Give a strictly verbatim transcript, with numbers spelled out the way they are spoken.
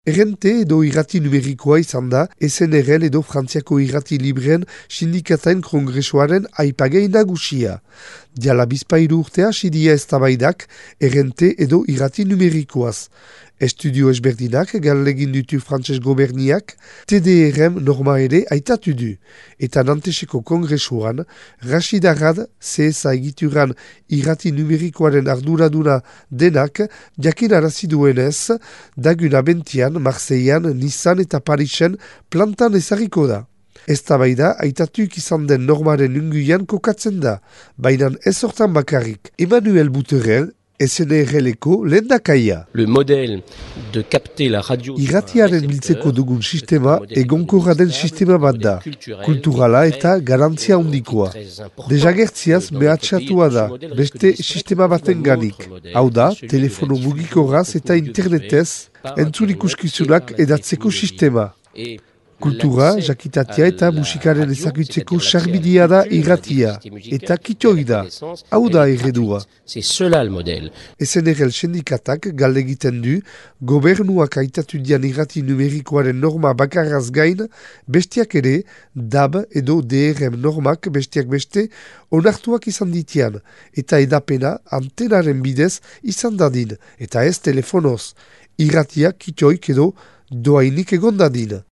Errente edo irrati numerikoa izan da S N R L edo Frantziako irrati libreen sindikatain kongresuaren aipagei nagusia. Diala bizpairu urtea sidia eztabaidak errente edo irrati numerikoaz. Estudio ezberdinak gallegin ditu frantses goberniak T D R M norma ere aitatu du. Eta Nanteseko kongresuan, Rachid Arad C S A egituran irrati numerikoaren arduraduna denak jakin arazi duenez, dagun abentian, Marseillan, Nissan eta Parisen plantan ezarriko da. Eztabaida aitatuik izan den normaren unguian kokatzen da, baina ez hortan bakarrik. Emmanuel Bouterel, S N R L-eko lehendakaia. Le modèle de capter la radio irratiaren biltzeko dugun sistema egonkorra den sistema bat da, kulturala eta garantzia handikoa. Desagertziaz mehatxatua da, beste sistema baten ganik. Hau da, telefono mugikorraz eta internetez entzun ikuskizunak edatzeko sistema. Kultura, jakitatia eta musikaren ezagutzeko sarbidia da irratia, eta kitoi da. Hau da erredua. S N R L sindikatak galdegiten du, gobernuak aitatu dian irrati numerikoaren norma bakarraz gain, bestiak ere, D A B edo D R M normak bestiak beste, onartuak izan ditian, eta edapena antenaren bidez izan dadin, eta ez telefonoz. Irratia kitoik edo doainik egon dadin.